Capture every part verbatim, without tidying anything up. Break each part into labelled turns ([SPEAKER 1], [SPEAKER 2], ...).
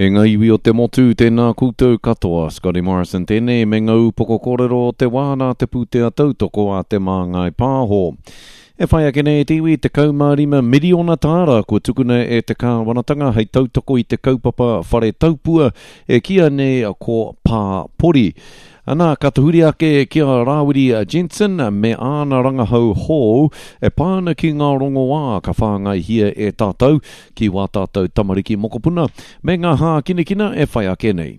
[SPEAKER 1] E ngā iwi o te motu, tēnā koutou katoa. Scotty Morrison tēnei me ngā upoko kōrero o te wā nā te pūtea tautoko a Te Māngai Pāho. E whai ake nei te iwi tekau mā rima miriona tāra kua tukuna e te kāwanatanga hei tautoko i te kaupapa whare taupua e kīia nei ko Pāpori. Ana, ka tahuri ake ki a Rāwiri Jensen me āna rangahau hou e pā ana ki ngā rongoā ka whāngaihia e tātou ki wā tātou tamariki mokopuna me ngā hākinakina e whai ake nei.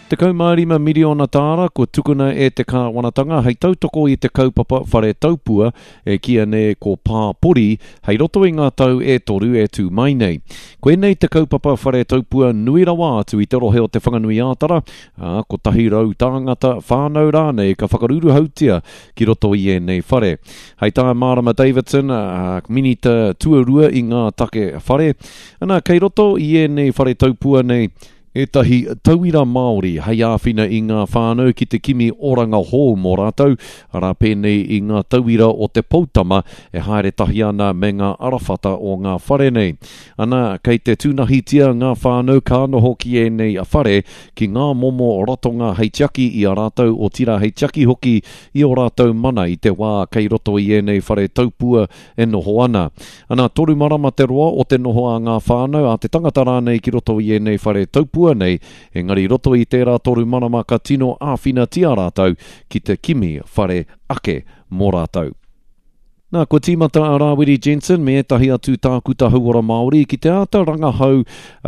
[SPEAKER 1] Tekau mā rima miriona tāra kua tukuna e te kāwanatanga hei tautoko i te kaupapa whare taupua e kīia nei ko Pāpori hei roto i ngā tau e toru e tū mai nei. Koinei te kaupapa whare taupua nui rawa atu i te rohe o Te Whanganui-ā-Tara, ā, kotahi rau tāngata, whānau rānei ka whakaruruhautia ki roto i ēnei whare. Hei tā Marama Davidson, ā, Minita tuarua i ngā take whare, ana, kei roto i ēnei whare taupua nei ētahi tauira Māori hei āwhina i ngā whānau ki te kimi oranga hou mō rātou, arā pēnei i ngā tauira o te poutama e haere tahi ana me ngā arawhata o ngā whare nei. Ana, kei te tūnahitia ngā whānau ka noho ki ēnei whare ki ngā momo ratonga hei tiaki i a rātou, otirā hei tiaki hoki i ō rātou mana i te wā kei roto i ēnei whare taupua e noho ana. Ana, toru marama te roa o te noho a ngā whānau, a te tangata rānei ki roto i ēnei whare taupua nei, engari i roto i tērā toru marama ka tino āwhinatia rātou ki te kimi whare ake mō rātou. Nā, kua tīmata a Rāwiri Jensen me ētahi atu tākuta hauora Māori ki te āta rangahau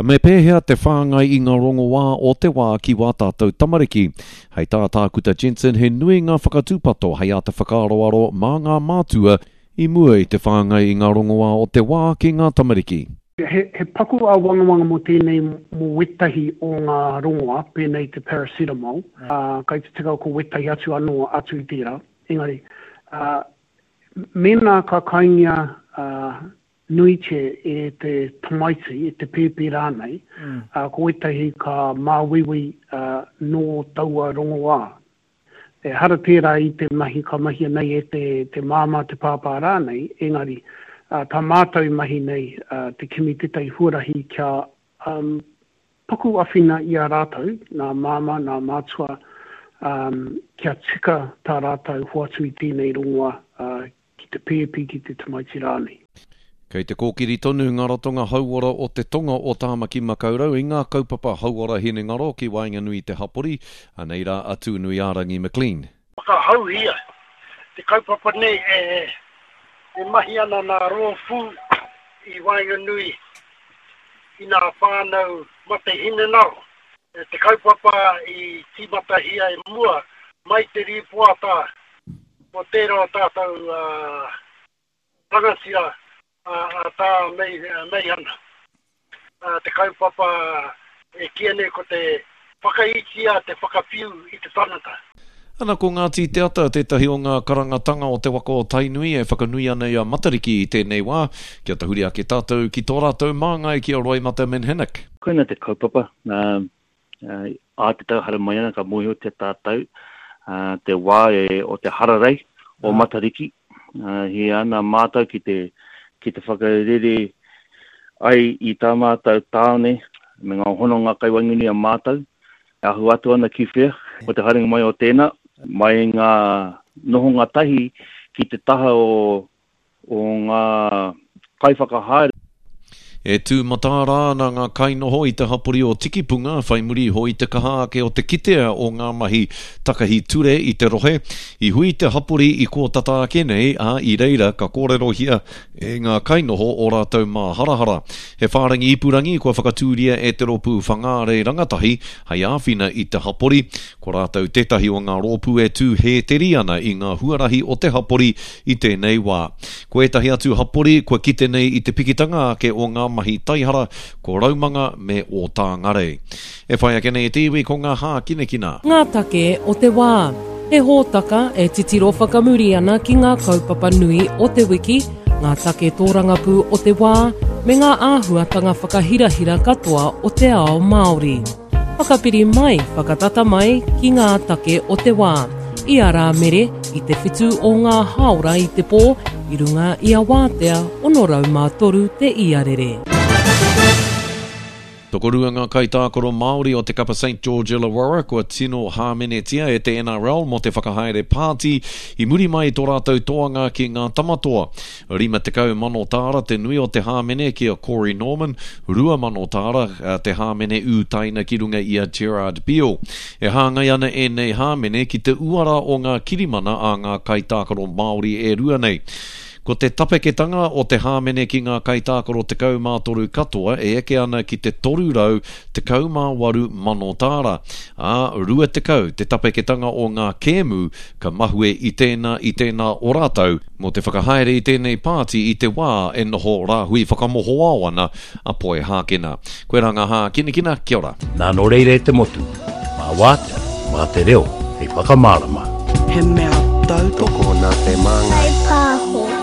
[SPEAKER 1] me pēhea te whāngai i ngā rongoā o te wā ki wā tātou tamariki. Hei tā Tākuta Jensen, he nui ngā whakatūpato hei āta whakaaroaro mā ngā mātua i mua i te whāngai i ngā rongoā o te wā ki ngā tamariki.
[SPEAKER 2] He, he paku āwangawanga mō tēnei mō wētahi o ngā rongoā, pēnei te paracetamol, ā, kai te tika ko wētahi atu anō atu i tērā. Engari, ā, mēnā ka kaingia ā, nuitia e te tamaiti, e te pēpi rānei, ā, ko wētahi ka māuiui ā, nō taua rongoā. Ehara tērā i te mahi ka mahia nei e te, te māmā, te pāpā rānei, engari, ā, tā mātou i mahi nei, ā, te kimi tētahi huarahi kia, um, paku awhina i a rātou, nā māmā, nā mātua, um, kia tika tā rātou hoatu i tēnei rongoa, ā, ki te pēpi, ki te tamaiti rānei.
[SPEAKER 1] Kei te kōkiri tonu ngā ratonga hauora o te tonga o Tāmaki Makaurau i ngā kaupapa hauora hinengaro ki waenganui i te hapori, anei rā a Tūnuiārangi McLean.
[SPEAKER 3] Whakahauhia te kaupapa nei e mahi ana nā rōpū i waenganui i nā whānau mate hinengaro. Te kaupapa i tīmatahia i mua mai te rīpoata o tērā o tātou rangatira a Tā Meihana. Te kaupapa e kīia nei ko te whakaitia, te whakawhiu i te tangata.
[SPEAKER 1] Ana ko Ngāti Te Ata tētahi o ngā karangatanga o te waka o Tainui e whakanui ana i a Matariki i tēnei wā, kia tahuri ake tātou ki tō rātou māngai ki a Roimata Minhinnick.
[SPEAKER 4] Koina te kaupapa, ā te tau haere mai ana ka mōhiotia tātou te wā o te hararei o Matariki, He ana mātou ki te, ki te whakarere ai i tā mātou tāone me ngā hononga kai waenganui a mātou, e ahu atu ana ki whea, ko te haerenga mai o tēnā, mai i ngā nohonga tahi ki te taha o, o ngā kaiwhakahaere.
[SPEAKER 1] E tū mataara ana ngā kainoho i te hapori o Tikipunga whai muri iho i te kaha ake o te kitea o ngā mahi takahi ture i te rohe. I hui te hapori i kō tata ake nei, ā, i reira ka kōrerohia e ngā kainoho ō rātou māharahara. He whārangi ipurangi kua whakatūria e te rōpū Whangārei Rangatahi hei āwhina i te hapori. Ko rātou tētahi o ngā rōpū e tū hēteri ana i ngā huarahi o te hapori i tēnei wā. Ko ētahi atu hapori kua kite nei i te pikitanga ake o ngā mahi taihara, ko Raumanga me Ōtāngarei. E whai ake nei e te iwi ko ngā hākinakina.
[SPEAKER 5] Ngā take o te wā. He hōtaka e titiro whakamuri ana ki ngā kaupapa nui o te wiki, ngā take tōrangapū o te wā, me ngā āhuatanga whakahirahira katoa o te ao Māori. Whakapiri mai, whakatata mai ki ngā take o te wā. I a Rāmere, i te whitu o ngā hāora i te pō, i runga i a Wātea ono rau mā toru te iarere.
[SPEAKER 1] Tokorua ngā kaitākaro Māori o te kapa St George Illawarra kua tino hāmenetia e te N R L mō te whakahaere pāti i muri mai i tō rātou toanga ki ngā Tamatoa. Rima tekau mano tāra te nui o te hāmene ki a Corey Norman, rua mano tāra te hāmene ūtaina ki runga i a Gerard Beale. E hāngai ana ēnei hāmene ki te uara o ngā kirimana a ngā kaitākaro Māori e rua nei. Ko te tapeketanga o te hāmene ki ngā kaitākaro tekau mā toru katoa e eke ana ki te toru rau tekau mā waru mano tāra, ā, rua tekau te tapeketanga o ngā kēmu ka mahue i tēnā i tēnā o rātou mō te whakahaere i tēnei pāti i te wā e noho rāhui whakamohoao ana a Poihākena. Koirā ngā hākinakina, kia ora.
[SPEAKER 6] Nā nō reira e te motu, mā wātea, mā te reo hei whakamārama.
[SPEAKER 7] He mea tautoko
[SPEAKER 8] nā Te Māngai
[SPEAKER 9] Pāho.